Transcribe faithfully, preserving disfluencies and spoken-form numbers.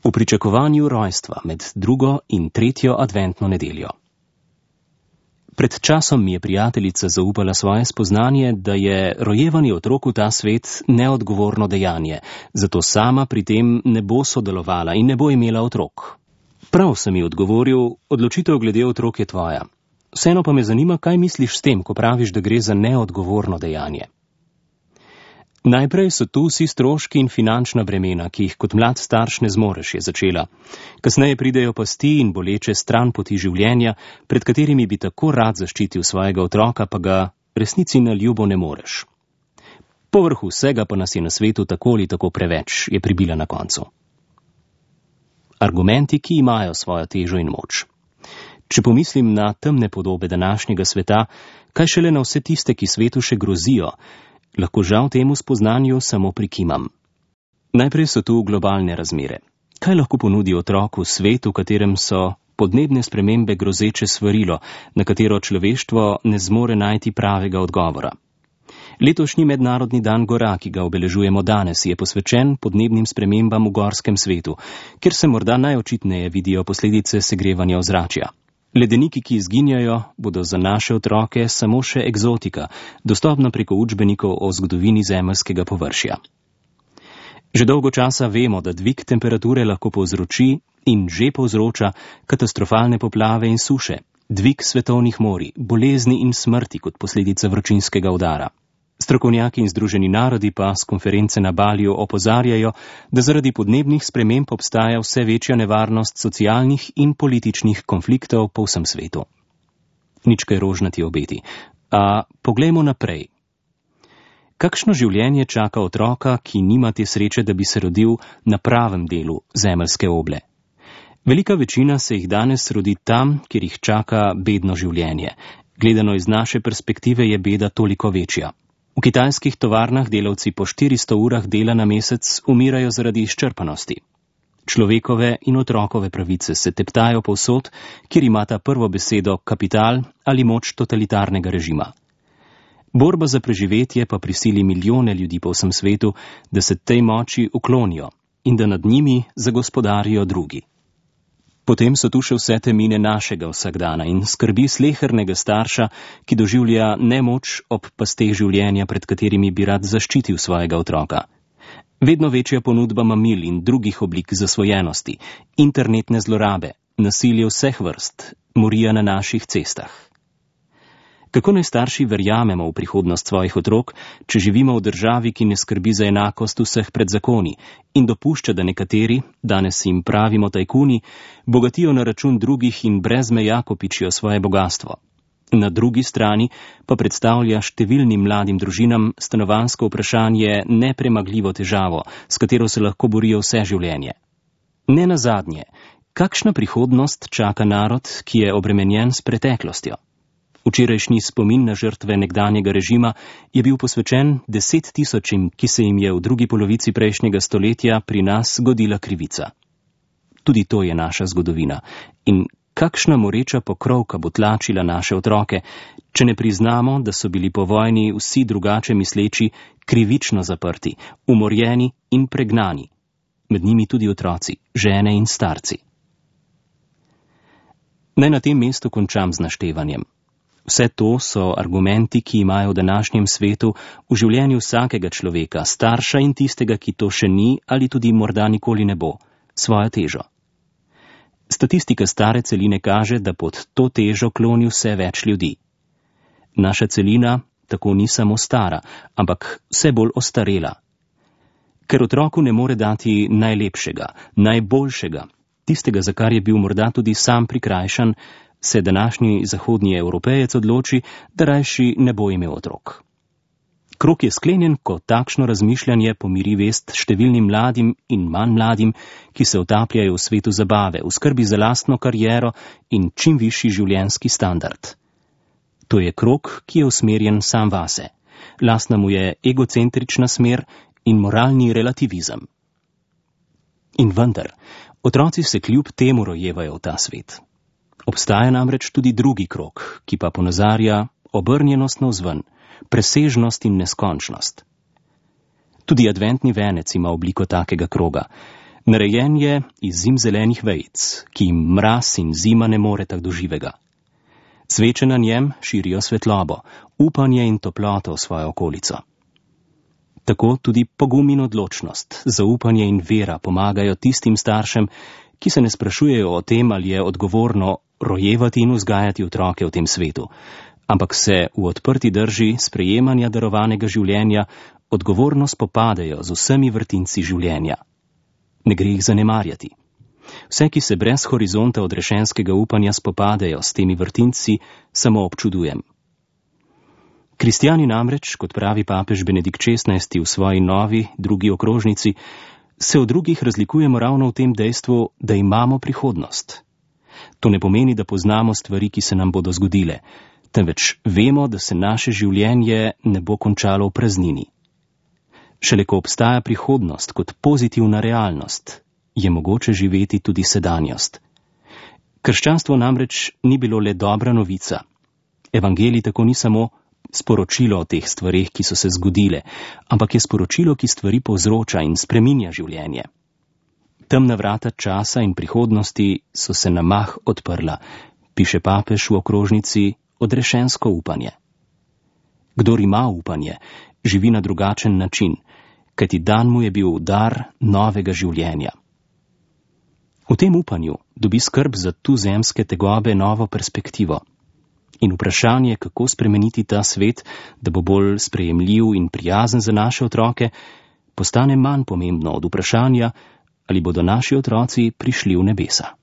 V pričakovanju rojstva med drugo in tretjo adventno nedeljo. Pred časom mi je prijateljica zaupala svoje spoznanje, da je rojevanje otrok v ta svet neodgovorno dejanje, zato sama pri tem ne bo sodelovala in ne bo imela otrok. Prav, sem ji odgovoril, odločitev glede otrok je tvoja. Vseeno pa me zanima, kaj misliš s tem, ko praviš, da gre za neodgovorno dejanje. Najprej so tu vsi stroški in finančna bremena, ki jih kot mlad starš ne zmoreš, je začela. Kasneje pridejo pasti in boleče stran poti življenja, pred katerimi bi tako rad zaščitil svojega otroka, pa ga resnici na ljubo ne moreš. Povrhu vsega pa nas je na svetu tako ali tako preveč, je pribila na koncu. Argumenti, ki imajo svojo težo in moč. Če pomislim na temne podobe današnjega sveta, kaj šele na vse tiste, ki svetu še grozijo, lahko žal temu spoznanju samo prikimam. Najprej so tu globalne razmere. Kaj lahko ponudi otrok v svetu, v katerem so podnebne spremembe grozeče svarilo, na katero človeštvo ne zmore najti pravega odgovora? Letošnji mednarodni dan gora, ki ga obeležujemo danes, je posvečen podnebnim spremembam v gorskem svetu, kjer se morda najočitneje vidijo posledice segrevanja ozračja. Ledeniki, ki izginjajo, bodo za naše otroke samo še egzotika, dostopna preko učbenikov o zgodovini zemeljskega površja. Že dolgo časa vemo, da dvig temperature lahko povzroči in že povzroča katastrofalne poplave in suše, dvig svetovnih morij, bolezni in smrti kot posledica vročinskega udara. Strokovnjaki in Združeni narodi pa s konference na Baliju opozarjajo, da zaradi podnebnih sprememb obstaja vse večja nevarnost socialnih in političnih konfliktov po vsem svetu. Nič kaj rožnati obeti. A poglejmo naprej. Kakšno življenje čaka otroka, ki nima te sreče, da bi se rodil na pravem delu zemeljske oble? Velika večina se jih danes rodi tam, kjer jih čaka bedno življenje. Gledano iz naše perspektive je beda toliko večja. V kitajskih tovarnah delavci po štiristo urah dela na mesec umirajo zaradi izčrpanosti. Človekove in otrokove pravice se teptajo povsod, kjer imata prvo besedo kapital ali moč totalitarnega režima. Borba za preživetje pa prisili milijone ljudi po vsem svetu, da se tej moči uklonijo in da nad njimi zagospodarijo drugi. Potem so tu še vse temine našega vsakdana in skrbi slehernega starša, ki doživlja nemoč ob pasteh življenja, pred katerimi bi rad zaščitil svojega otroka. Vedno večja ponudba mamil in drugih oblik zasvojenosti, internetne zlorabe, nasilje vseh vrst, morija na naših cestah. Kako naj starši verjamemo v prihodnost svojih otrok, če živimo v državi, ki ne skrbi za enakost vseh pred zakoni in dopušča, da nekateri, danes jim pravimo tajkuni, bogatijo na račun drugih in brez meja kopičijo svoje bogastvo? Na drugi strani pa predstavlja številnim mladim družinam stanovanjsko vprašanje nepremagljivo težavo, s katero se lahko borijo vse življenje. Ne nazadnje, kakšna prihodnost čaka narod, ki je obremenjen s preteklostjo? Včerajšnji spomin na žrtve nekdanjega režima je bil posvečen deset tisočim, ki se jim je v drugi polovici prejšnjega stoletja pri nas zgodila krivica. Tudi to je naša zgodovina. In kakšna moreča pokrovka bo tlačila naše otroke, če ne priznamo, da so bili po vojni vsi drugače misleči krivično zaprti, umorjeni in pregnani. Med njimi tudi otroci, žene in starci. Naj na tem mestu končam z naštevanjem. Vse to so argumenti, ki imajo v današnjem svetu v življenju vsakega človeka, starša in tistega, ki to še ni ali tudi morda nikoli ne bo, svojo težo. Statistika stare celine kaže, da pod to težo kloni vse več ljudi. Naša celina tako ni samo stara, ampak vse bolj ostarela. Ker otroku ne more dati najlepšega, najboljšega, tistega, za kar je bil morda tudi sam prikrajšan, se današnji zahodni Evropejec odloči, da rajši ne bo imel otrok. Krog je sklenjen, ko takšno razmišljanje pomiri vest številnim mladim in manj mladim, ki se utapljajo v svetu zabave, v skrbi za lastno kariero in čim višji življenjski standard. To je krog, ki je usmerjen sam vase. Lastna mu je egocentrična smer in moralni relativizem. In vendar, otroci se kljub temu rojevajo v ta svet. Obstaja namreč tudi drugi krog, ki pa ponazarja obrnjenost navzven, presežnost in neskončnost. Tudi adventni venec ima obliko takega kroga. Narejen je iz zimzelenih vejic, ki jim mraz in zima ne moreta do živega. Sveče na njem širijo svetlobo, upanje in toploto v svojo okolico. Tako tudi pogum in odločnost, zaupanje in vera pomagajo tistim staršem, ki se ne sprašujejo o tem, ali je odgovorno rojevati in vzgajati otroke v tem svetu, ampak se v odprti drži sprejemanja darovanega življenja odgovorno spopadajo z vsemi vrtinci življenja. Ne gre jih zanemarjati. Vse, ki se brez horizonta odrešenskega upanja spopadajo s temi vrtinci, samo občudujem. Kristjani namreč, kot pravi papež Benedikt šestnajsti v svoji novi, drugi okrožnici, se od drugih razlikujemo ravno v tem dejstvu, da imamo prihodnost. To ne pomeni, da poznamo stvari, ki se nam bodo zgodile, temveč vemo, da se naše življenje ne bo končalo v praznini. Šele ko obstaja prihodnost kot pozitivna realnost, je mogoče živeti tudi sedanjost. Krščanstvo namreč ni bilo le dobra novica. Evangelij tako ni samo sporočilo o teh stvareh, ki so se zgodile, ampak je sporočilo, ki stvari povzroča in spreminja življenje. Temna vrata časa in prihodnosti so se na mah odprla, piše papež v okrožnici Odrešensko upanje. Kdor ima upanje, živi na drugačen način, kajti dan mu je bil dar novega življenja. V tem upanju dobi skrb za tuzemske tegobe novo perspektivo. In vprašanje, kako spremeniti ta svet, da bo bolj sprejemljiv in prijazen za naše otroke, postane manj pomembno od vprašanja, ali bodo naši otroci prišli v nebesa.